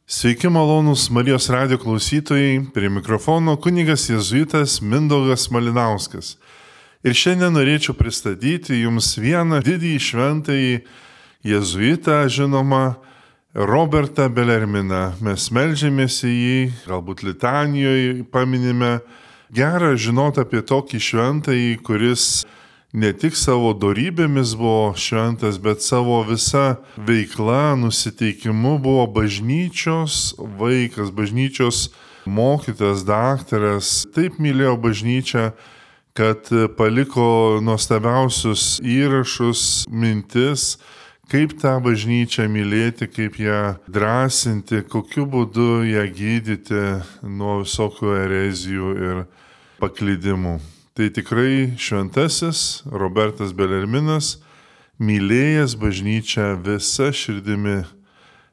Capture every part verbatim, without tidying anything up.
Sveiki malonūs Marijos radijo klausytojai, prie mikrofono kunigas jėzuitas Mindaugas Malinauskas. Ir šiandien norėčiau pristatyti jums vieną didįjį šventąjį jėzuitą, žinoma, Robertą Belerminą. Mes meldžiamės į jį, galbūt litanijoje paminime. Gera žinoti apie tokį šventąjį, kuris ne tik savo dorybėmis buvo šventas, bet savo visa veikla, nusiteikimu buvo bažnyčios vaikas, bažnyčios mokytas, daktaras. Taip mylėjo bažnyčią, kad paliko nuostabiausius įrašus, mintis, kaip tą bažnyčią mylėti, kaip ją drąsinti, kokiu būdu ją gydyti nuo visokių erezijų ir paklydimų. Tai tikrai šventasis Robertas Belerminas, mylėjęs bažnyčią visa širdimi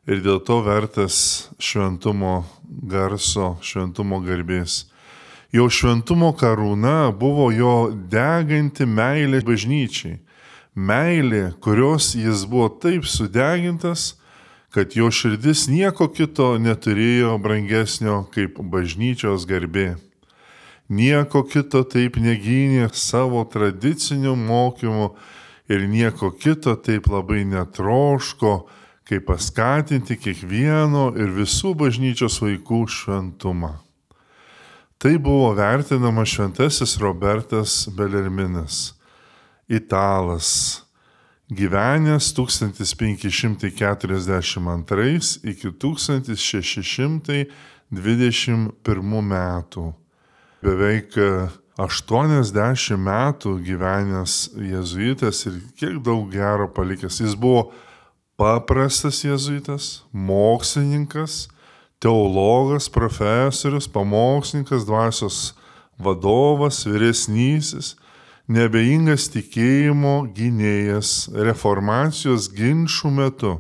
ir dėl to vertas šventumo garso, šventumo garbės. Jo šventumo karūna buvo jo deganti meilė bažnyčiai. Meilė, kurios jis buvo taip sudegintas, kad jo širdis nieko kito neturėjo brangesnio kaip bažnyčios garbė. Nieko kito taip negynė savo tradiciniu mokymu ir nieko kito taip labai netroško, kaip paskatinti kiekvieno ir visų bažnyčios vaikų šventumą. Tai buvo vertinama šventasis Robertas Belerminas, italas, gyvenęs tūkstantis penki šimtai keturiasdešimt antrais iki tūkstantis šeši šimtai dvidešimt pirmų metų. Beveik aštuoniasdešimt metų gyvenęs jėzuitas ir kiek daug gero palikęs. Jis buvo paprastas jėzuitas, mokslininkas, teologas, profesorius, pamokslininkas, dvasios vadovas, vyresnysis, neabejingas tikėjimo gynėjas, reformacijos ginčų metu,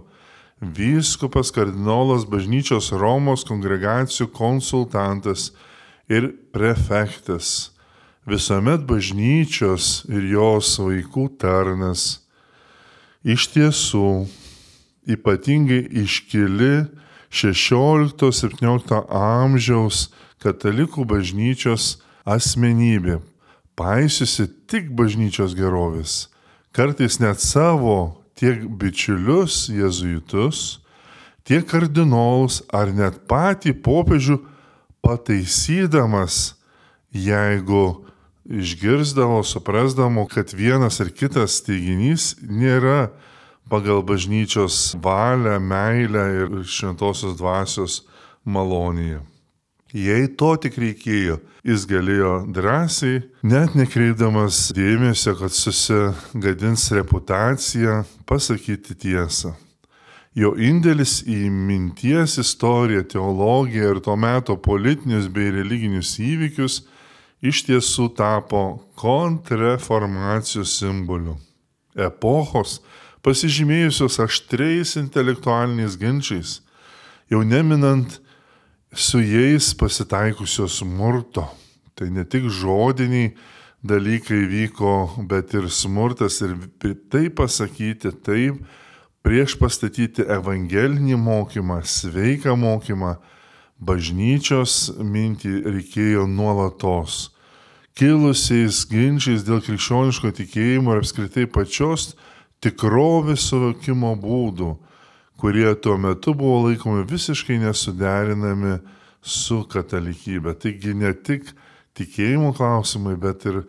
vyskupas, kardinolas, bažnyčios Romos kongregacijų konsultantas ir prefektas, visuomet bažnyčios ir jos vaikų tarnas. Iš tiesų, ypatingai iškili šešiolikto septyniolikto amžiaus katalikų bažnyčios asmenybė, paisiusi tik bažnyčios gerovės, kartais net savo tiek bičiulius jėzuitus, tiek kardinolus ar net patį popiežių pataisydamas, jeigu išgirsdavo, suprasdavo, kad vienas ar kitas teiginys nėra pagal bažnyčios valią, meilę ir šventosios dvasios malonėje. Jei to tik reikėjo, jis galėjo drąsiai, net nekreipdamas dėmesio, kad susigadins reputaciją, pasakyti tiesą. Jo indėlis į minties istoriją, teologiją ir to meto politinius bei religinius įvykius iš tiesų tapo kontrreformacijos simboliu. Epochos, pasižymėjusios aštriais intelektualiniais ginčiais, jau neminant su jais pasitaikusios smurto. Tai ne tik žodiniai dalykai vyko, bet ir smurtas ir taip pasakyti, taip prieš pastatyti evangelinį mokymą, sveiką mokymą, bažnyčios mintį reikėjo nuolatos. Kilusiais ginčiais dėl krikščioniško tikėjimo ir apskritai pačios tikrovės suvokimo būdų, kurie tuo metu buvo laikomi visiškai nesuderinami su katalikybė. Taigi ne tik tikėjimo klausimai, bet ir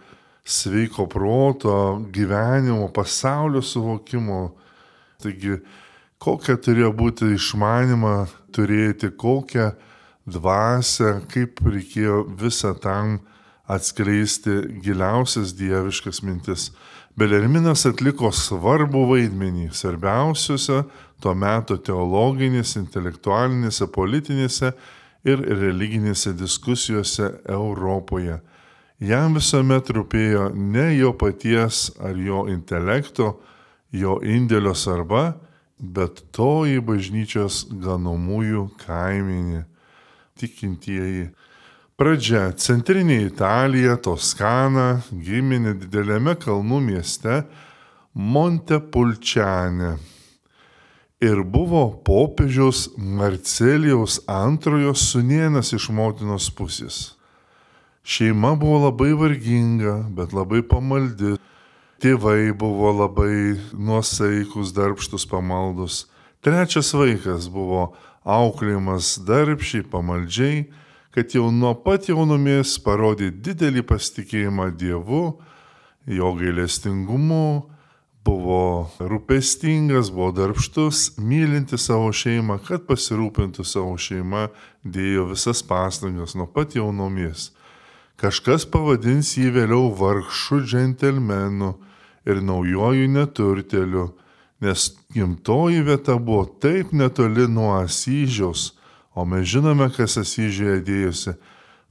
sveiko proto, gyvenimo, pasaulio suvokimo. Taigi, kokią turėjo būti išmanimą turėti, kokią dvasią, kaip reikėjo visą tam atskleisti giliausias dieviškas mintis. Belerminas atliko svarbų vaidmenį svarbiausiuose to meto teologinėse, intelektualinėse, politinėse ir religinėse diskusijose Europoje. Jam visuomet rūpėjo ne jo paties ar jo intelekto, jo indėlio svarba, bet toji bažnyčios ganomųjų kaimenė, tikintieji. Pradžia – centrinė Italija, Toskana, gimė nedideliame kalnų mieste Montepulciane. ir buvo popiežiaus Marcelijaus antrojo sūnėnas iš motinos pusės. Šeima buvo labai varginga, bet labai pamaldi. Tėvai buvo labai nuosaikus, darbštus, pamaldus. Trečias vaikas buvo auklėjimas darbščiai, pamaldžiai, kad jau nuo pat jaunumės parodė didelį pasitikėjimą Dievu, jo gailestingumu, buvo rūpestingas, buvo darbštus, mylinti savo šeimą, kad pasirūpintų savo šeimą, dėjo visas pastangas nuo pat jaunumės. Kažkas pavadins jį vėliau vargšu džentelmenu ir naujoju neturteliu, nes gimtoji vieta buvo taip netoli nuo Asyžiaus, o mes žinome, kas Asyžiuje dėjosi.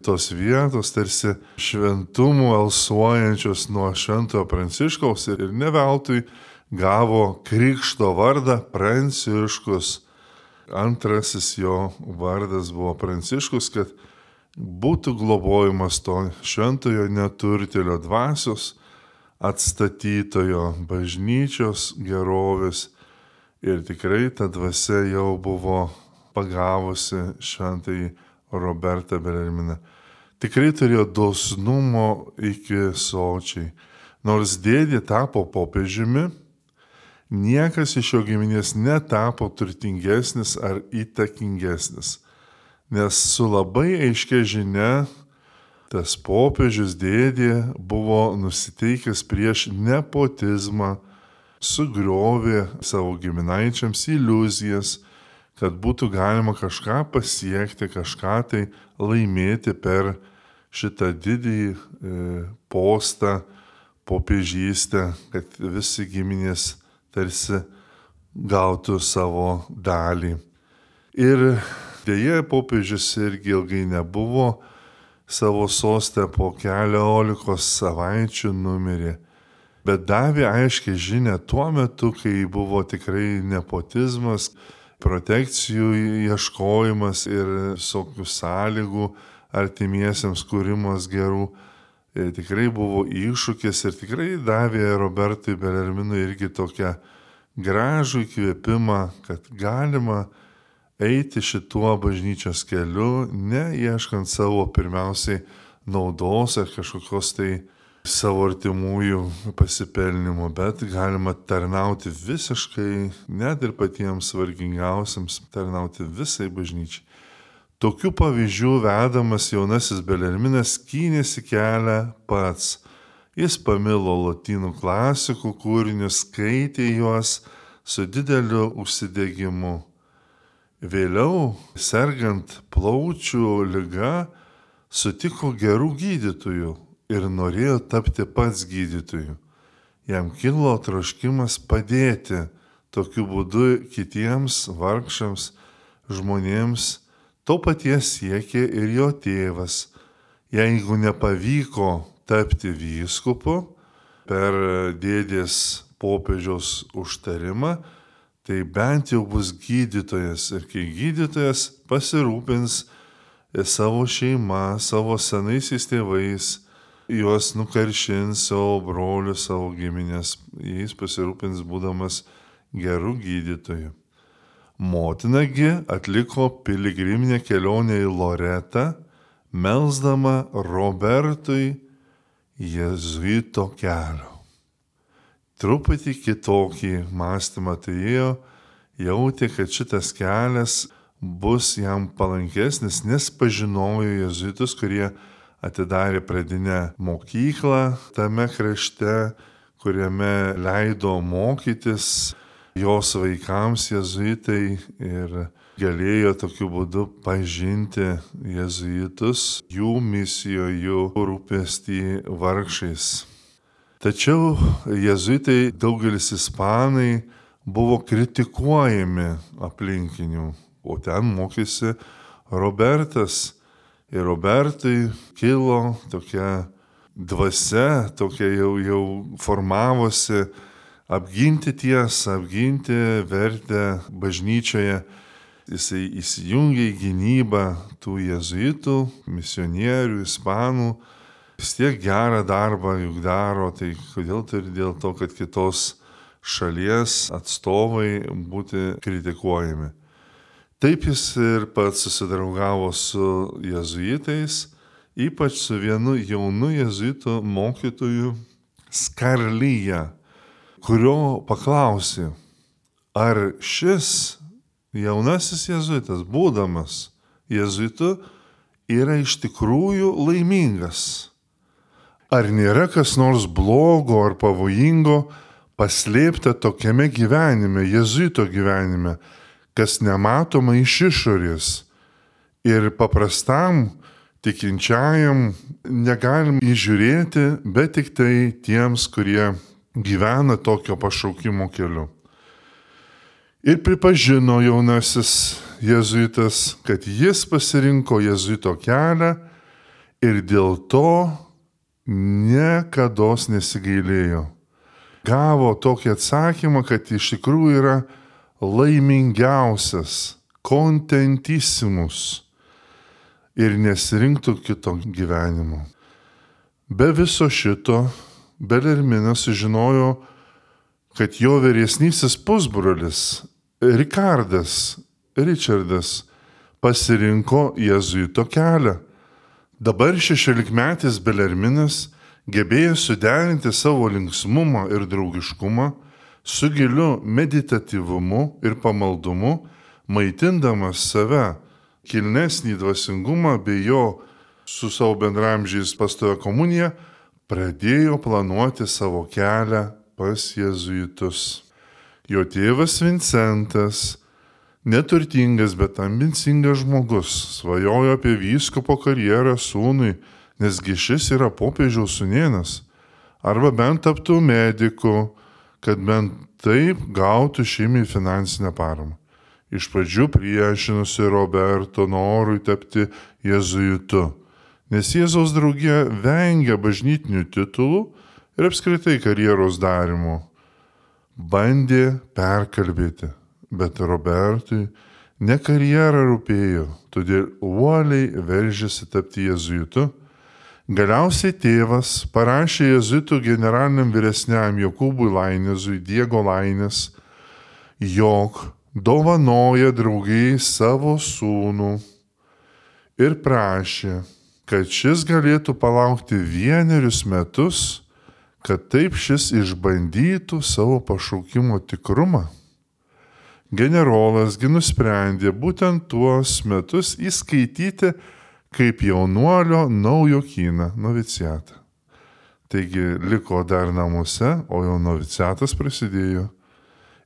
Tos vietos tarsi šventumų alsuojančios nuo šventojo Pranciškaus ir ne veltui gavo krikšto vardą Pranciškus. Antrasis jo vardas buvo Pranciškus, kad būtų globojimas to šventojo neturtelio dvasios, atstatytojo bažnyčios gerovės. Ir tikrai ta dvasia jau buvo pagavusi šventąjį Robertą Belerminą. Tikrai turėjo dosnumo iki sočiai. Nors dėdė tapo popiežiumi, niekas iš jo giminės netapo turtingesnis ar įtakingesnis. Nes su labai aiškia žinia tas popiežius dėdė buvo nusiteikęs prieš nepotizmą, sugriovė savo giminaičiams iliuzijas, kad būtų galima kažką pasiekti, kažką tai laimėti per šitą didįjį e, postą, popiežystę, kad visi giminės tarsi gautų savo dalį. Ir deja, popiežius irgi ilgai nebuvo, savo sostę po keliolikos savaičių numirė, bet davė aiškiai žinę tuo metu, kai buvo tikrai nepotizmas, protekcijų ieškojimas ir visokių sąlygų artimiesiems kūrimas gerų. Ir tikrai buvo iššūkis ir tikrai davė Robertui Belerminui irgi tokią gražų įkvėpimą, kad galima eiti šituo bažnyčios keliu, neieškant savo pirmiausiai naudos ar kažkokios tai savo artimųjų pasipelnimo, bet galima tarnauti visiškai, net ir patiems vargingiausiams, tarnauti visai bažnyčiai. Tokių pavyzdžių vedamas jaunasis Belerminas skynėsi kelią pats. Jis pamilo lotynų klasikų kūrinius, skaitė juos su dideliu užsidegimu. Vėliau, sergant plaučių liga, sutiko gerų gydytojų ir norėjo tapti pats gydytoju. Jam kilo troškimas padėti tokiu būdu kitiems vargšams žmonėms. To paties siekė ir jo tėvas. Jeigu nepavyko tapti vyskupu per dėdės popiežiaus užtarimą, tai bent jau bus gydytojas. Ir kai gydytojas pasirūpins savo šeima, savo senaisiais tėvais, juos nukaršins savo brolių, savo giminės, jais pasirūpins būdamas gerų gydytojų. Motinagi atliko piligriminę kelionę į Loretą, melsdama Robertui jėzuito kelio. Truputį kitokį mąstymą turėjo, jautė, kad šitas kelias bus jam palankesnis, nes pažinojo jėzuitus, kurie atidarė pradinę mokyklą tame krašte, kuriame leido mokytis jos vaikams jėzuitai ir galėjo tokiu būdu pažinti jėzuitus, jų misijoje, jų rūpestį vargšais. Tačiau jėzuitai, daugelis ispanai, buvo kritikuojami aplinkinių, o ten mokėsi Robertas. Ir Robertui kilo tokia dvasia, tokia jau, jau formavosi apginti tiesą, apginti vertę bažnyčioje. Jisai įsijungė į gynybą tų jėzuitų, misionierių, ispanų. Vis tiek gerą darbą juk daro, tai kodėl tai dėl to, kad kitos šalies atstovai būti kritikuojami. Taip jis ir pats susidraugavo su jėzuitais, ypač su vienu jaunu jėzuitų mokytoju Skarlyja, kurio paklausė, ar šis jaunasis jėzuitas, būdamas jėzuitu, yra iš tikrųjų laimingas. Ar nėra kas nors blogo ar pavojingo paslėpta tokiame gyvenime, jėzuito gyvenime, kas nematoma iš išorės ir paprastam tikinčiajam negalim įžiūrėti, bet tik tai tiems, kurie gyvena tokio pašaukimo keliu. Ir pripažino jaunasis jėzuitas, kad jis pasirinko jėzuito kelią ir dėl to niekados nesigailėjo. Gavo tokį atsakymą, kad iš tikrųjų yra laimingiausias, kontentissimus ir nesirinktų kito gyvenimo. Be viso šito, Belerminas sužinojo, kad jo vyresnysis pusbrolis Rikardas, Ričardas, pasirinko jėzuito kelią. Dabar šešiolikmetis Belerminas gebėjo suderinti savo linksmumą ir draugiškumą su giliu meditatyvumu ir pamaldumu, maitindamas save kilnesnį dvasingumą bei jo su savo bendramžiais pastovę komuniją, pradėjo planuoti savo kelią pas jėzuitus. Jo tėvas Vincentas, neturtingas, bet ambicingas žmogus, svajojo apie vyskupo karjerą sūnui, nesgi šis yra popiežiaus sūnėnas, arba bent taptų mediku, kad bent taip gautų šeimai finansinę paramą. Iš pradžių priešinusi Roberto norui tapti jėzuitu, nes Jėzaus draugija vengia bažnytinių titulų ir apskritai karjeros darimo. Bandė perkalbėti, bet Robertui ne karjera rūpėjo, todėl uoliai veržėsi tapti jėzuitu. Galiausiai tėvas parašė jėzuitų generaliniam vyresniam Jokūbui Lainezui, Diego Lainez, jog dovanoja draugijai savo sūnų ir prašė, kad šis galėtų palaukti vienerius metus, kad taip šis išbandytų savo pašaukimo tikrumą. Generolasgi nusprendė būtent tuos metus įskaityti kaip jaunuolio naujokyną, noviciatą. Taigi liko dar namuose, o jau noviciatas prasidėjo.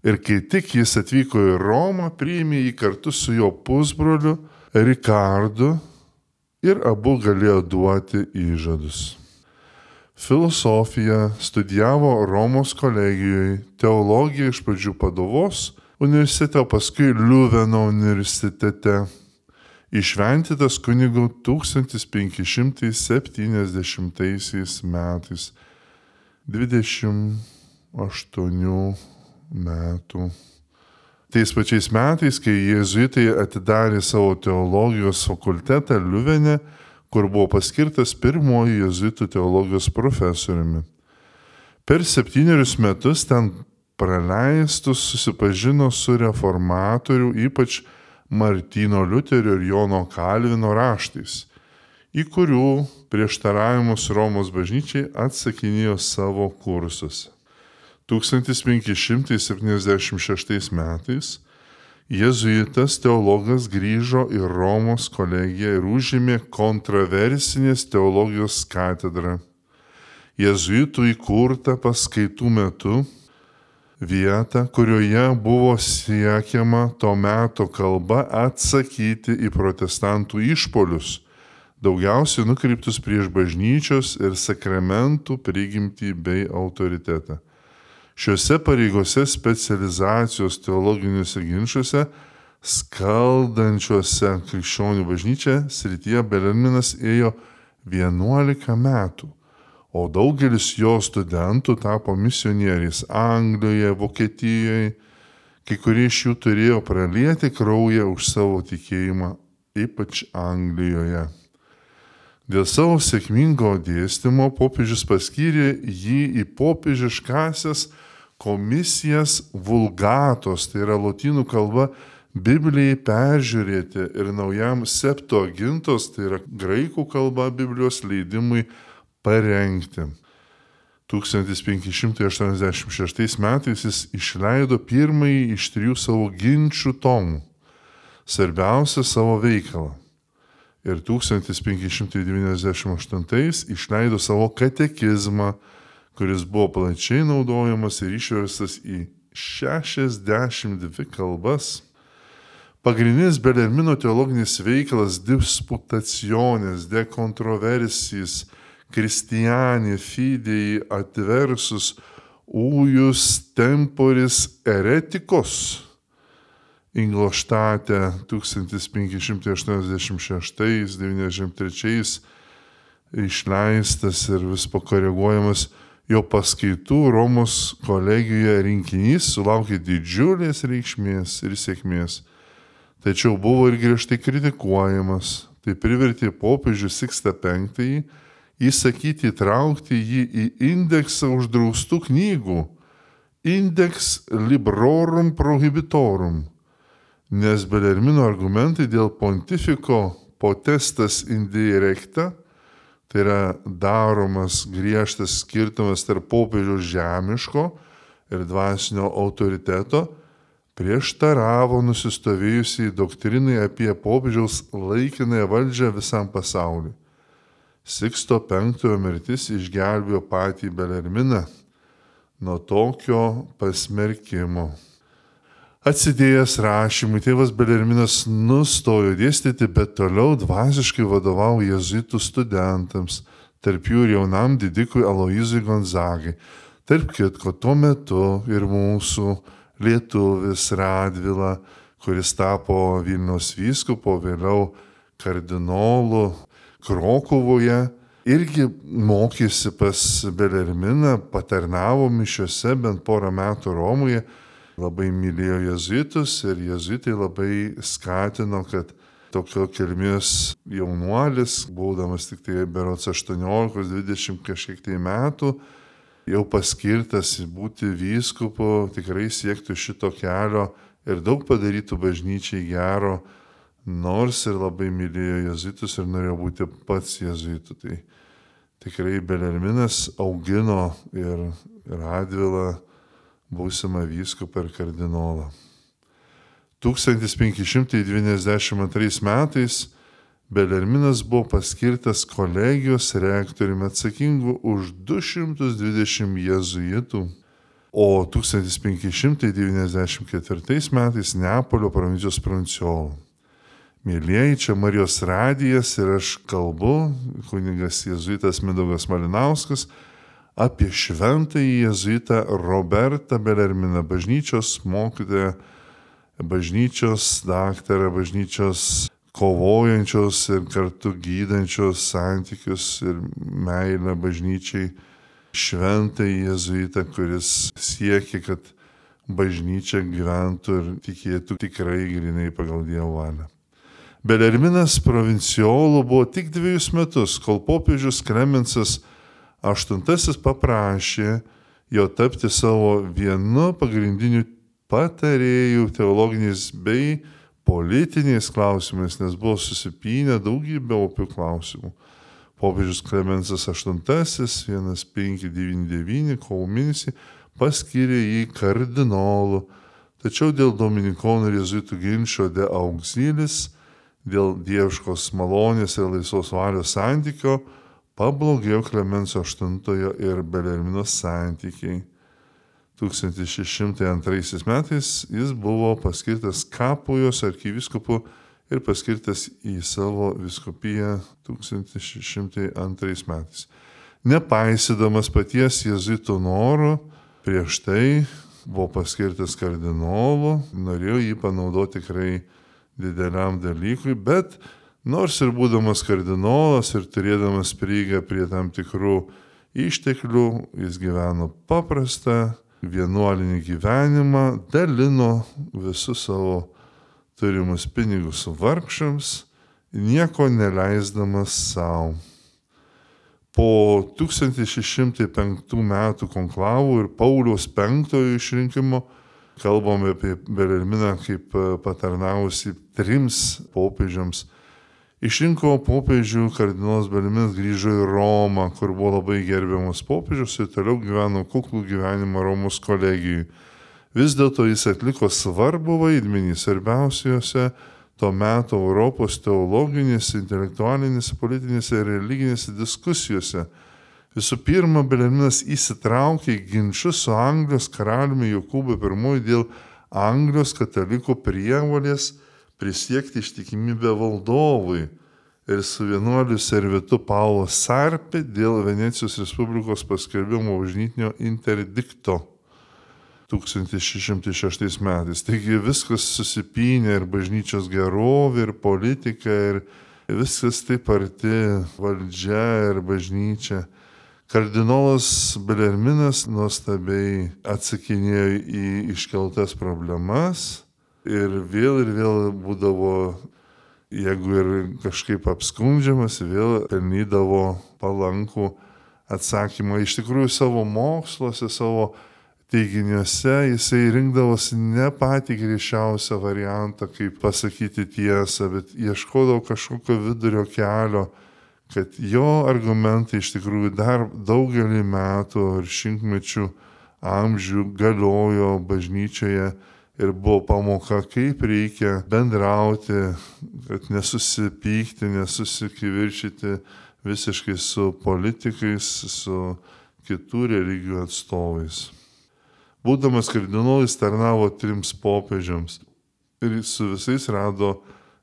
Ir kai tik jis atvyko į Romą, priėmė jį kartu su jo pusbroliu Rikardu ir abu galėjo duoti įžadus. Filosofiją studijavo Romos kolegijoje, teologiją iš pradžių Paduvos universitete, o paskui Liuveno universitete. Išventytas kunigu tūkstantis penki šimtai septyniasdešimtaisiais metais, dvidešimt aštuonių metų. Tais pačiais metais, kai jėzuitai atidarė savo teologijos fakultetą Liuvene, kur buvo paskirtas pirmoji jėzuitų teologijos profesoriumi. Per septynerius metus ten praleistus susipažino su reformatorių, ypač Martyno Liuterio ir Jono Kalvino raštais, į kurių prieštaravimus Romos bažnyčiai atsakinėjo savo kursuose. tūkstantis penki šimtai septyniasdešimt šeštais metais jėzuitas teologas grįžo į Romos kolegiją ir užėmė kontroversinės teologijos katedrą. Jėzuitų įkurta paskaitų metu vietą, kurioje buvo siekiama to meto kalba atsakyti į protestantų išpolius, daugiausiai nukreiptus prieš bažnyčios ir sakramentų prigimtį bei autoritetą. Šiuose pareigose specializacijos teologiniuose ginčiuose, skaldančiuose krikščionių bažnyčią srityje Belerminas ėjo vienuolika metų, o daugelis jo studentų tapo misionieriais Anglijoje, Vokietijoje, kai kurie iš jų turėjo pralieti kraują už savo tikėjimą, ypač Anglijoje. Dėl savo sėkmingo dėstymo popiežius paskyrė jį į popiežiškąsias komisijas vulgatos, tai yra lotynų kalba, Biblijai peržiūrėti ir naujam Septuagintos, tai yra graikų kalba Biblijos leidimui parengti. tūkstantis penki šimtai aštuoniasdešimt šeštais metais jis išleido pirmąjį iš trijų savo ginčių tomų, svarbiausią savo veikalą. Ir tūkstantis penki šimtai devyniasdešimt aštuntais išleido savo katekizmą, kuris buvo plačiai naudojamas ir išverstas į šešiasdešimt dvi kalbas. Pagrindinis Belermino teologinis veikalas Disputationes de controversiis Christiani fidei adversus ujus temporis hereticos. Ingolštate tūkstantis penki šimtai aštuoniasdešimt šeštais devyniasdešimt trečiais išleistas ir vis pakoreguojamas jo paskaitų Romos kolegijoje rinkinys sulaukė didžiulės reikšmės ir sėkmės. Tačiau buvo ir griežtai kritikuojamas. Tai privertė popiežių Sikstą penktąjį įsakyti įtraukti jį į indeksą uždraustų knygų Index Librorum Prohibitorum, nes Belermino argumentai dėl pontifiko potestas indirecta, tai yra daromas griežtas skirtumas tarp popiežiaus žemiško ir dvasinio autoriteto, prieštaravo nusistovėjusiai doktrinai apie popiežiaus laikinąją valdžią visam pasauliu. Siksto penktojo mirtis išgelbėjo patį Belerminą nuo tokio pasmerkimo. Atsidėjęs rašymui, tėvas Belerminas nustojo dėstyti, bet toliau dvasiškai vadovavo jėzuitų studentams, tarp jų ir jaunam didikui Aloyzui Gonzagai. Tarp kitko, tuo metu ir mūsų lietuvis Radvila, kuris tapo Vilniaus vyskupo, vėliau kardinolu Krokuvoje, irgi mokėsi pas Belerminą, patarnavo mišiose bent porą metų Romoje, labai mylėjo jėzuitus ir jėzuitai labai skatino, kad tokio kilmės jaunuolis, būdamas tik tai berods aštuoniolika dvidešimt kažkiek tai metų, jau paskirtas būti vyskupu, tikrai siektų šito kelio ir daug padarytų bažnyčiai gero, nors ir labai mylėjo jėzuitus ir norėjo būti pats jėzuitu. Tai tikrai Belerminas augino ir Radvilą būsimą vyskupą ir kardinolą. tūkstantis penki šimtai devyniasdešimt antrais metais Belerminas buvo paskirtas kolegijos rektoriumi atsakingu už du šimtus dvidešimt jėzuitų, o tūkstantis penki šimtai devyniasdešimt ketvirtais metais Neapolio provincijos provincijolu. Mėlieji, čia Marijos radijas ir aš kalbu, kunigas jėzuitas Mindaugas Malinauskas, apie šventąjį jėzuitą Robertą Belerminą, bažnyčios mokytoją, bažnyčios daktarą, bažnyčios kovojančios ir kartu gydančios santykius ir meilę bažnyčiai, šventąjį jėzuitą, kuris siekia, kad bažnyčia gyventų ir tikėtų tikrai grinai pagal Dievo valią. Belerminas provincijolu buvo tik dviejus metus, kol popiežius Klemensas aštuntasis paprašė jo tapti savo vienu pagrindiniu patarėjų teologiniais bei politiniais klausimais, nes buvo susipynę daugybę opių klausimų. Popiežius Klemensas aštuntasis, penki devyni devyni, kovo mėnesį, paskyrė jį kardinolu, tačiau dėl dominikonų ir jėzuitų ginčo de auxilis, dėl dieviškos malonės ir laisvos valios santykio, pablogėjo Klemenso aštuntojo ir Belermino santykiai. tūkstantis šeši šimtai antraisiais metais jis buvo paskirtas Kapujos arkivyskupu ir paskirtas į savo vyskupiją tūkstantis šeši šimtai antrais metais. Nepaisydamas paties jėzuitų norų, prieš tai buvo paskirtas kardinolu, norėjo jį panaudoti tikrai dideliam dalykui, bet nors ir būdamas kardinolas ir turėdamas prieigą prie tam tikrų išteklių, jis gyveno paprastą vienuolinį gyvenimą, dalino visus savo turimus pinigus vargšams, nieko neleisdamas savo. Po tūkstantis šeši šimtai penktų metų konklavų ir Pauliaus penktojo išrinkimo kalbame apie Belerminą kaip patarnavusi trims popiežiams. Išrinko popiežių, kardinolas Belerminas grįžo į Romą, kur buvo labai gerbiamas popiežius ir toliau gyveno kuklų gyvenimą Romos kolegijai. Vis dėlto jis atliko svarbų vaidmenį svarbiausiose to meto Europos teologinėse, intelektualinėse, politinėse ir religinėse diskusijose. Visų pirma, Belerminas įsitraukė į ginčius su Anglijos karaliumi Jokūbu pirmuoju dėl Anglijos katalikų prievolės prisiekti ištikimybę valdovui ir su vienuoliu servitu Paulo Sarpi dėl Venecijos Respublikos paskelbimo bažnytinio interdikto tūkstantis šeši šimtai šeštais metais. Taigi viskas susipynė ir bažnyčios gerovė, ir politika, ir viskas taip arti valdžia ir bažnyčia. Kardinolas Belerminas nuostabiai atsakinėjo į iškeltas problemas ir vėl ir vėl būdavo, jeigu ir kažkaip apskundžiamas, vėl pelnydavo palankų atsakymą. Iš tikrųjų savo moksluose, savo teiginiuose jisai rinkdavosi ne patį griežčiausią variantą, kaip pasakyti tiesą, bet ieškodavo kažkokio vidurio kelio, kad jo argumentai iš tikrųjų dar daugelį metų ir šimtmečių amžių galiojo bažnyčioje ir buvo pamoka, kaip reikia bendrauti, kad nesusipykti, nesusikivirčyti visiškai su politikais, su kitų religijų atstovais. Būdamas kardinolu jis tarnavo trims popiežiams ir su visais rado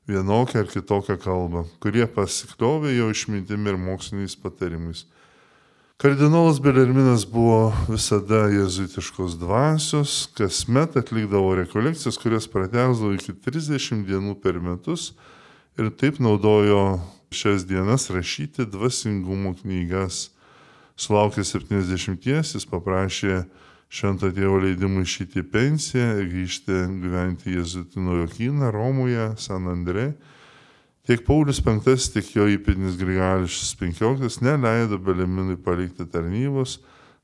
vienokią ar kitokią kalbą, kurie pasikliovė jo išmintimi ir moksliniais patarimais. Kardinolas Belerminas buvo visada jėzuitiškos dvasios, kasmet atlikdavo rekolekcijas, kurias pratęsdavo iki trisdešimt dienų per metus ir taip naudojo šias dienas rašyti dvasingumo knygas. Sulaukęs septyniasdešimties jis paprašė Švento tėvo leidimų išeiti į pensiją ir grįžti gyventi jėzuitų naujokyną Romoje, San Andrė. Tiek Paulius penktasis, tiek jo įpėdinis Grigalius penkioliktas neleido Belerminui palikti tarnybos,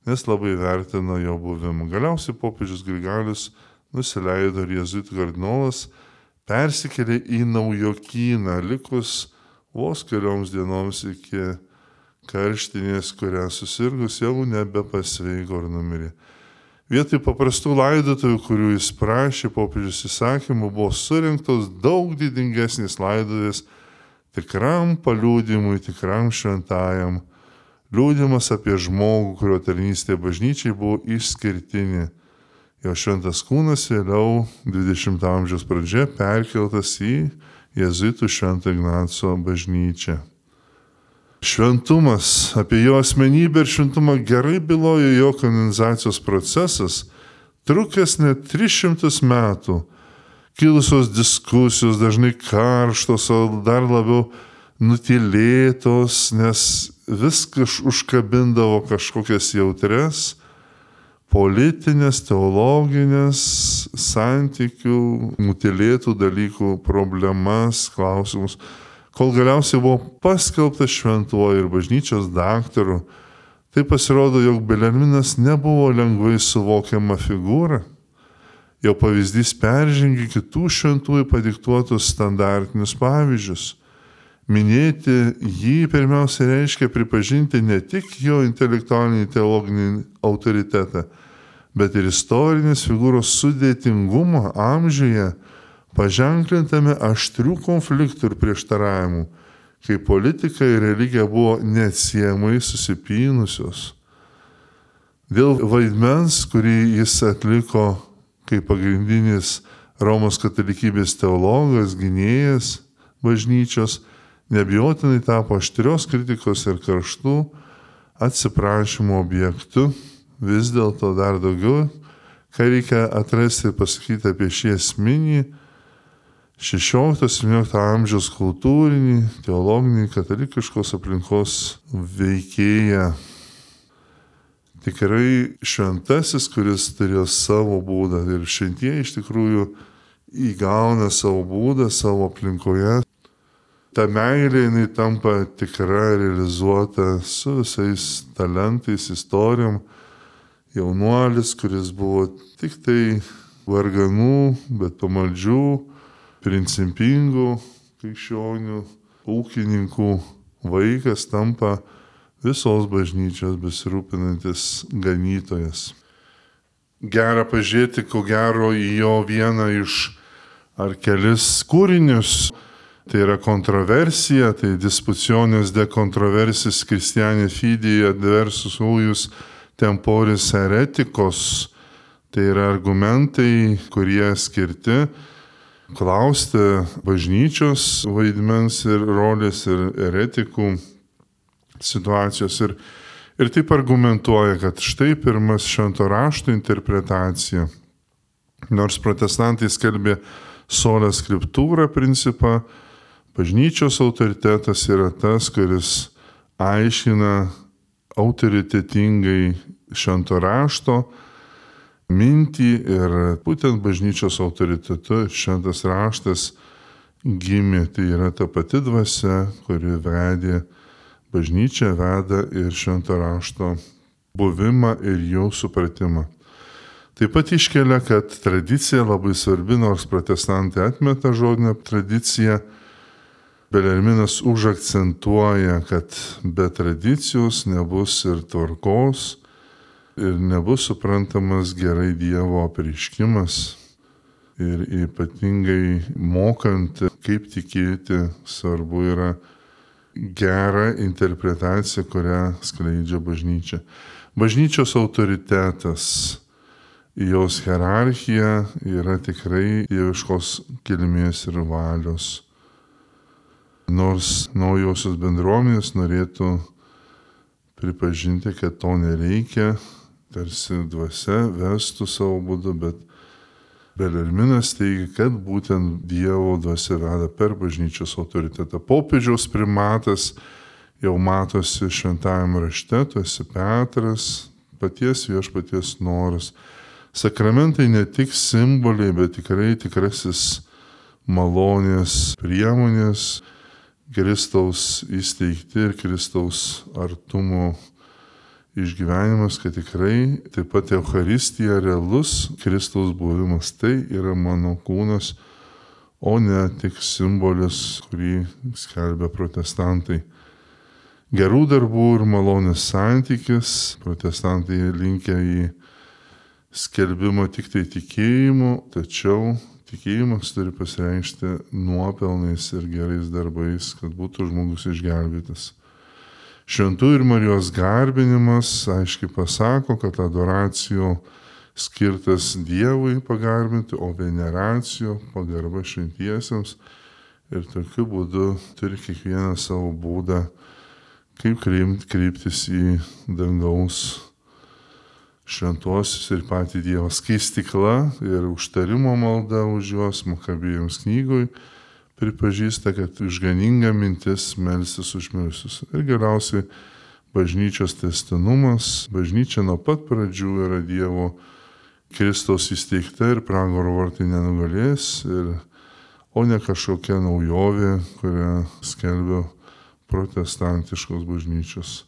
nes labai vertino jo buvimą. Galiausiai popiežius Grigalius nusileido ir jėzuitų kardinolas persikėlė į naujokyną, likus vos kelioms dienoms iki karštinės, kurią susirgus jau nebepasveiko ir numirė. Vietoj paprastų laidotuvių, kurių jis prašė popiežius įsakymų, buvo surinktos daug didingesnės laidotuvės tikram paliudymui, tikram šventajam. Liudijimas apie žmogų, kurio tarnystė bažnyčiai buvo išskirtinė. Jo šventas kūnas vėliau dvidešimto amžiaus pradžioje perkeltas į jėzuitų Švento Ignaco bažnyčią. Šventumas, apie jo asmenybę ir šventumą gerai bylojo jo kanonizacijos procesas, trukęs net tris šimtus metų. Kilusios diskusijos dažnai karštos, o dar labiau nutylėtos, nes viskas užkabindavo kažkokias jautres, politinės, teologinės, santykių, nutylėtų dalykų, problemas, klausimus. Kol galiausiai buvo paskelbtas šventuoju ir bažnyčios daktaru, tai pasirodo, jog Belerminas nebuvo lengvai suvokiama figūra. Jo pavyzdys peržengė kitų šventųjų padiktuotus standartinius pavyzdžius. Minėti jį pirmiausia reiškia pripažinti ne tik jo intelektualinį teologinį autoritetą, bet ir istorinės figūros sudėtingumą amžiuje, paženklintame aštrių konfliktų ir prieštaravimų, kai politika ir religija buvo neatsiejamai susipynusios. Dėl vaidmens, kurį jis atliko kaip pagrindinis Romos katalikybės teologas, gynėjas bažnyčios, neabejotinai tapo aštrios kritikos ir karštų atsiprašymų objektu. Vis dėlto dar daugiau, ką reikia atrasti ir pasakyti apie šį esminį šešiolikto septyniolikto amžiaus kultūrinį, teologinį, katalikiškos aplinkos veikėją. Tikrai šventasis, kuris turėjo savo būdą ir šventieji iš tikrųjų įgauna savo būdą savo aplinkoje. ta meilė jinai tampa tikra, realizuota su visais talentais, istorijom. Jaunuolis, kuris buvo tik tai varganų, bet pamaldžių, principingų krikščionių, ūkininkų vaikas tampa visos bažnyčios besirūpinantis ganytojas. Gera pažiūrėti, ko gero, į jo vieną iš ar kelis kūrinius. Tai yra kontroversija, tai dispuciones de controversis Christiani fidei adversus ujus temporis heretikos. Tai yra argumentai, kurie skirti klausti bažnyčios vaidmens ir rolės ir heretikų situacijos. Ir, ir taip argumentuoja, kad štai pirmas švento rašto interpretacija. Nors protestantai skelbė sola scriptura principą, bažnyčios autoritetas yra tas, kuris aiškina autoritetingai švento rašto mintį ir būtent bažnyčios autoritetu šventas raštas gimė. Tai yra ta pati dvasia, kuri vedė bažnyčią, veda ir švento rašto buvimą ir jo supratimą. Taip pat iškelia, kad tradicija labai svarbi, nors protestantai atmeta žodinę tradiciją. Belerminas užakcentuoja, kad be tradicijos nebus ir tvarkos ir nebus suprantamas gerai Dievo apreiškimas. Ir ypatingai mokant, kaip tikėti, svarbu yra gera interpretacija, kurią skleidžia bažnyčia. Bažnyčios autoritetas, jos hierarchija yra tikrai dieviškos kilmės ir valios. Nors naujosios bendruomenės norėtų pripažinti, kad to nereikia, tarsi dvasia vestų savo būdu, bet Belerminas teigia, kad būtent Dievo dvasia veda per bažnyčios autoritetą. Popiežiaus primatas jau matosi šventajame rašte, tu esi Petras, paties viešpaties noras. Sakramentai ne tik simboliai, bet tikrai tikrasis malonės priemonės, Kristaus įsteigti ir Kristaus artumo išgyvenimas, kad tikrai taip pat Eucharistija realus Kristaus buvimas. Tai yra mano kūnas, o ne tik simbolis, kurį skelbia protestantai. Gerų darbų ir malonės santykis, protestantai linkia į skelbimą tik tai tikėjimu, tačiau tikėjimas turi pasireikšti nuopelnais ir gerais darbais, kad būtų žmogus išgelbėtas. Šventų ir Marijos garbinimas aiškiai pasako, kad adoracijo skirtas Dievui pagarbinti, o veneracijo pagarba šventiesiems. Ir tokiu būdu turi kiekvieną savo būdą, kaip kreiptis į dangaus šventuosius ir patį Dievą. Skaistykla ir užtarimo malda už juos Makabėjams knygoj pripažįsta, kad išganinga mintis melstis už mirusius. Ir galiausiai bažnyčios tęstinumas. Bažnyčia nuo pat pradžių yra Dievo Kristaus įsteigta ir pragaro vartai nenugalės, ir, o ne kažkokia naujovė, kurią skelbia protestantiškos bažnyčios.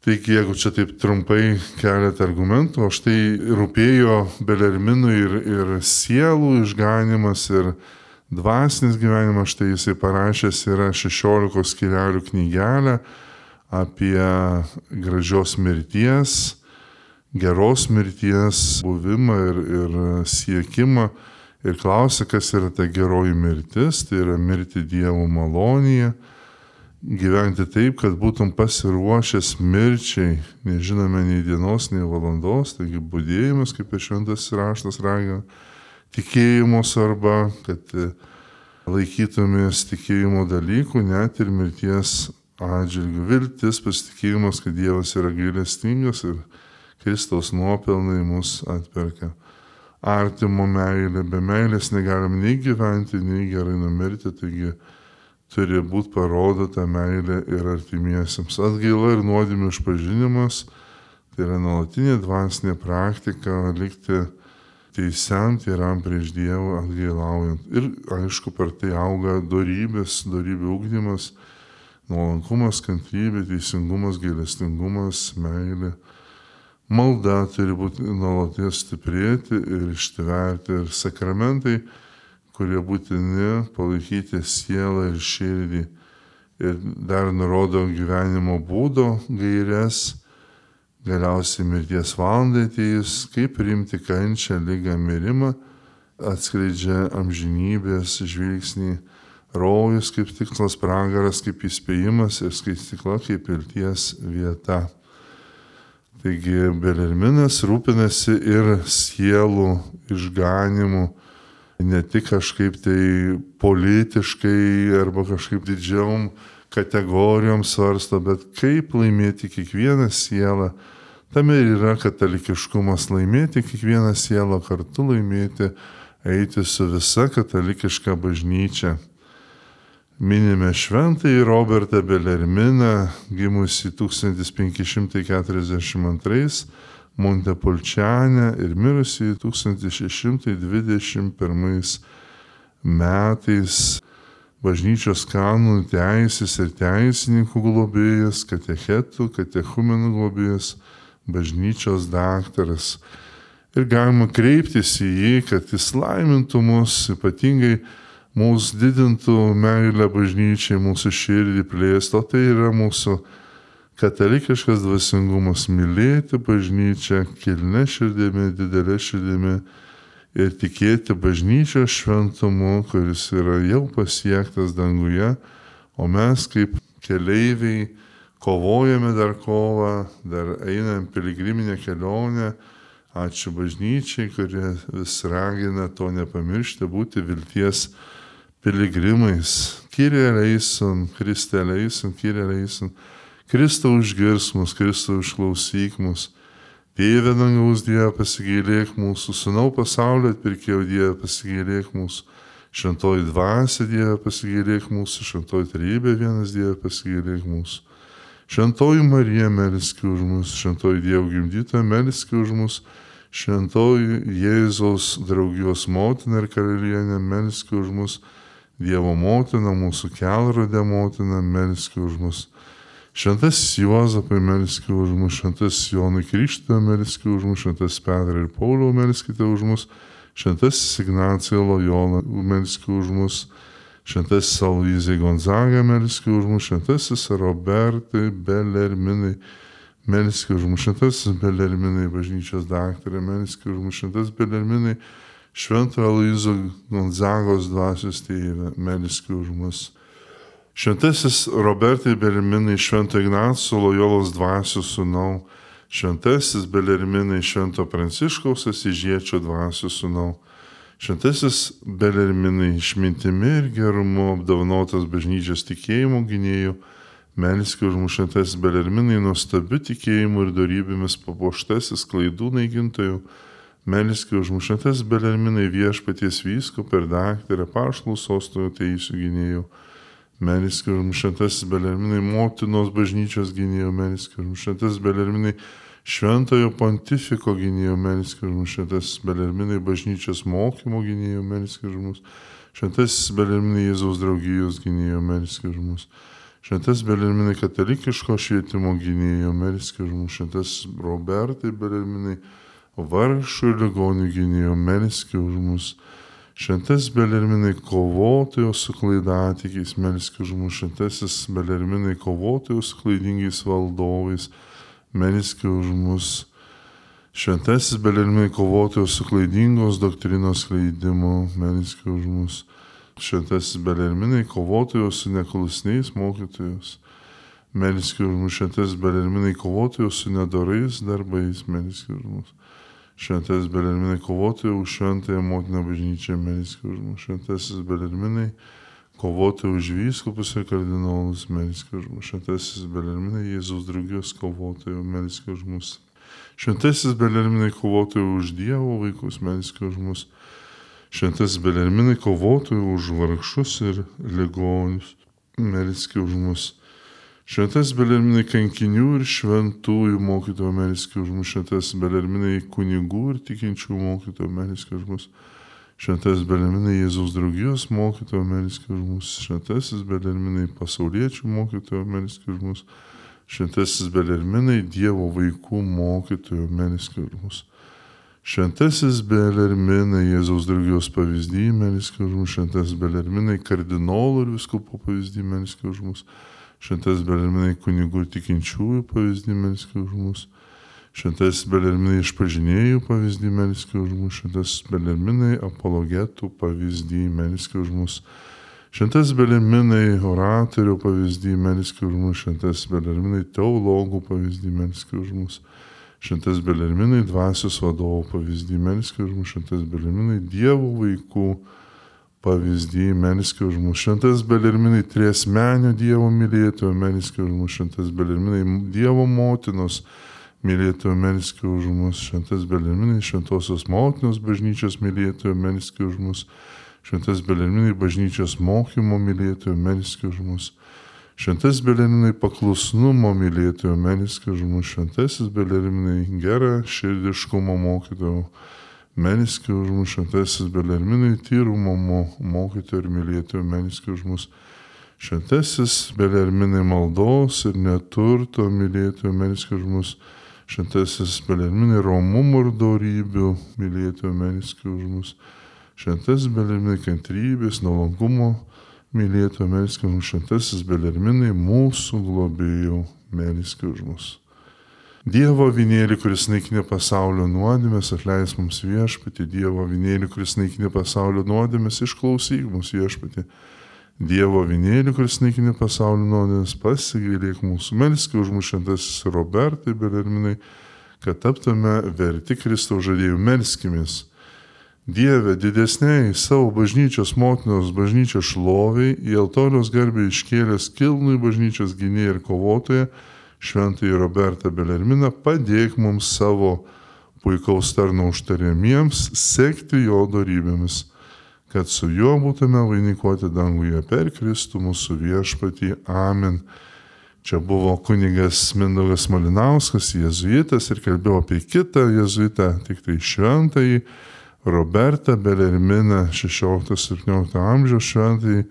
Taigi, jeigu čia taip trumpai keletą argumentų, o štai rūpėjo Belerminui ir, ir sielų išganimas, ir dvasinis gyvenimas, štai jisai parašęs yra šešiolikos skyrelių knygelę apie gražios mirties, geros mirties buvimą ir, ir siekimą. Ir klausia, kas yra ta geroji mirtis, tai yra mirti Dievo malonėje, gyventi taip, kad būtum pasiruošęs mirčiai, nežinome nei dienos, nei valandos, taigi budėjimas, kaip ir šventas raštas ragina, tikėjimo svarba, kad laikytumės tikėjimo dalykų, net ir mirties atžvilgių. Viltis, pasitikėjimas, kad Dievas yra gailestingas ir Kristaus nuopelnai mus atperka. Artimo meilė, be meilės negalim nei gyventi, nei gerai numirti, taigi turi būti parodota meilė ir artimiesiems. Atgaila ir nuodėmių išpažinimas, tai yra nuolatinė dvasinė praktika, likti teisiam, tyram prieš Dievą atgailaujant. Ir aišku, per tai auga dorybės, dorybių ugdymas, nuolankumas, kantrybė, teisingumas, gailestingumas, meilė. Malda turi būti nuolatos stiprėti ir ištverti. Ir sakramentai, kurie būtini palaikyti sielą ir širdį. Ir dar nurodo gyvenimo būdo gaires, galiausiai mirties valandai atėjus, kaip priimti kančią, ligą, mirimą, atskleidžia amžinybės žvilgsnį, rojus kaip tikslas, pragaras kaip įspėjimas ir skaistykla kaip vilties vieta. Taigi Belerminas rūpinasi ir sielų išganimu, ne tik kažkaip tai politiškai arba kažkaip didžiom kategorijom svarsto, bet kaip laimėti kiekvieną sielą. Tame ir yra katalikiškumas, laimėti kiekvieną sielą, kartu laimėti, eiti su visa katalikiška bažnyčia. Minime šventąjį Robertą Belerminą, gimusį tūkstantis penki šimtai keturiasdešimt antrais Montepulčiane ir mirusį tūkstantis šeši šimtai dvidešimt pirmais metais. Bažnyčios kanonų teisės ir teisininkų globėjas, katechetų, katechumenų globėjas, bažnyčios daktaras. Ir galima kreiptis į jį, kad jis laimintų mus, ypatingai mūsų didintų meilę bažnyčiai, mūsų širdį plėstų. O tai yra mūsų katalikiškas dvasingumas, mylėti bažnyčią kilnia širdimi, didelė širdimi ir tikėti bažnyčios šventumu, kuris yra jau pasiektas danguje, o mes kaip keleiviai kovojame dar kovą, dar einam piligriminę kelionę. Ačiū bažnyčiai, kurie vis ragina to nepamiršti, būti vilties piligrimais. Kyrie eleison, Kriste eleison, Kyrie eleison. Kristau išgirs mus, Kristau išklausyk mus. Tėve dangaus Dieve, pasigailėk mūsų, Sūnau pasaulio atpirkėjo Dieve, pasigailėk mūsų. Šventoji dvasia Dieve, pasigailėk mūsų, Šventoji trejybė vienas Dieve, pasigailėk mūsų. Šventoji Marija, melski už mus, Šventoji Dievo gimdytoja, melski už mus. Šventoji Jėzaus draugijos motina ir karalienė, melski už mus. Dievo motina, mūsų kelrodė motina, melski už mus. Šventasis Juozapai, melski už mus. Šventasis Jonui Krikštytojo, melski už mus. Šventasis Petrą ir Paulių, melskite už mus. Šventasis Ignacija Lojola, melski už mus. Šventasis Aloyzai Gonzaga, melski už mus. Šventasis Robertai Belerminai, melski už mus. Šventasis Belerminai, bažnyčios daktarė, melski už mus. Šventasis Belerminai, Šventojo Aloyzo Gonzagos dvasios tėve, melski už mus. Šventasis Robertai Belerminai, Švento Ignaco Lojolos dvasios sūnau. Šventasis Belerminai, Švento Pranciškaus Asyžiečio dvasios sūnau. Šventasis Belerminai, išmintimi ir gerumu apdovanotas bažnyčios tikėjimo gynėjų, melski už mus. Šventasis Belerminai, nuostabiu tikėjimu ir dorybėmis papuoštasis klaidų naikintojų, melski už mus. Šventasis Belerminai, viešpaties vyskupo ir daktarė, apaštalų sosto teisių gynėjų, melski už mus. Šventasis Belerminai, motinos bažnyčios gynėjų, melski už mus. Šventasis Belerminai, šventojo pontifiko gynėjų, melski už mus. Šventasis Belerminai, bažnyčios mokymo gynėjų, melski už mus. Šventasis Belerminai, Jėzaus draugijos gynėjų, melski už mus. Šventasis Belerminai, katalikiško švietimo gynėjų, melski už mus. Šventasis Robertai Belerminai, vargšų ir ligonių gynėjų, melski už mus. Šventasis Belerminai, kovotojo su klaidatikiais, melski už mus. Šventasis Belerminai, kovotojo su klaidingais valdovais, melski už mus. Šventasis Belerminai, kovotojo su klaidingos doktrinos skleidimu, melski už mus. Šventasis Belerminai, kovotojo su neklusniais mokytojais, melski už mus. Šventasis Belerminai, kovotojo su nedorais darbais, melski už mus. Šventasis Belerminai, kovotojo už šventąją motiną bažnyčią, melski už mus. Šventasis Belerminai, kovotojo už vyskupus ir kardinolus, melski už mus. Šventasis Belerminai, Jėzaus draugijos kovotojo, melski už mus. Šventasis Belerminai, kovotojo už Dievo vaikus, melski už mus. Šventasis Belerminai, kovotojo už vargšus ir ligonius, melski už mus. Šventas Belerminai kankinių ir šventųjų mokytojų melskė už mus. Šventas Belerminai kunigų ir tikinčių mokytojų melskė už mus. Šventas Belerminai Jėzaus draugijos mokytojų melskė už mus. Šventasis Belerminai pasauliečių mokytojų melskė už mus. Šventasis Belerminai Dievo vaikų mokytojų melskė už mus. Šventasis Belerminai Jėzaus draugijos pavyzdį melskė už mus. Šventasis Belerminai kardinolų ir vyskupo pavyzdį melskė už mus. Šventasis Belerminai kunigų ir tikinčiųjų pavyzdį melskė už mus. Šventasis Belerminai išpažinėjų pavyzdį melskė už mus. Šventasis Belerminai apologetų pavyzdį melskė už mus. Šventasis Belerminai oratorių pavyzdį melskė už mus. Šventasis Belerminai teologų pavyzdį melskė už mus. Šventasis Belerminai dvasios vadovų pavyzdį melskė už mus. Šventasis Belerminai Dievo vaikų pavyzdį melskė už mus. Šventasis Belerminai triasmenio Dievo mylėtojo melskė už mus. Šventasis Belerminai Dievo motinos mylėtojo melskė už mus. Šventas Belerminai šventosios motinos bažnyčios mylėtojo melskė už mus. Šventas Belerminai bažnyčios mokymo mylėtojo melskė už mus. Šventas Belerminai paklusnumo mylėtojo melskė už mus. Šventasis Belerminai gera širdiškumo mokytojo melskė už mus. Šventasis Belerminai tyrumo mokytojo ir mylėtojo melskė už mus. Šventasis Belerminai maldos ir neturto mylėtojo melskė už mus. Šventasis Belerminai romumo ir dorybių mylėtojo melskė už mus. Šventasis Belerminai kantrybės, nuolankumo mylėtojo melskė už mus. Šventasis Belerminai mūsų globėjų melskė už mus. Dievo avinėlį, kuris naikinė pasaulio nuodėmes, atleis mums Viešpatie. Dievo avinėlį, kuris naikinė pasaulio nuodėmes, išklausyk mus Viešpatie. Dievo avinėlį, kuris naikinė pasaulio nuodėmes, pasigailėk mūsų. Melskė už mus šventasis Robertai Belerminai, kad taptume verti Kristaus žadėjų. Melskimės. Dieve, didesniai savo bažnyčios motinos bažnyčios šloviai, į altoriaus garbę iškėlęs kilnųjį bažnyčios gynėją ir kovotoją, šventąjį Robertą Belerminą, padėk mums savo puikaus tarno užtariamiems sekti jo dorybėmis, kad su juo būtume vainikuoti danguje per Kristų mūsų Viešpatį. Amen. Čia buvo kunigas Mindaugas Malinauskas, jėzuitas, ir kalbėjo apie kitą jėzuitą, tik tai šventąjį Robertą Belerminą, šešiolikto-septyniolikto amžiaus šventąjį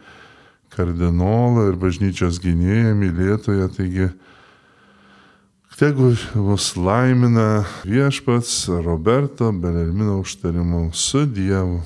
kardinolą ir bažnyčios gynėją, mylėtoją. Taigi, tegu mus laimina Viešpats Roberto Belermino užtarimu su Dievu.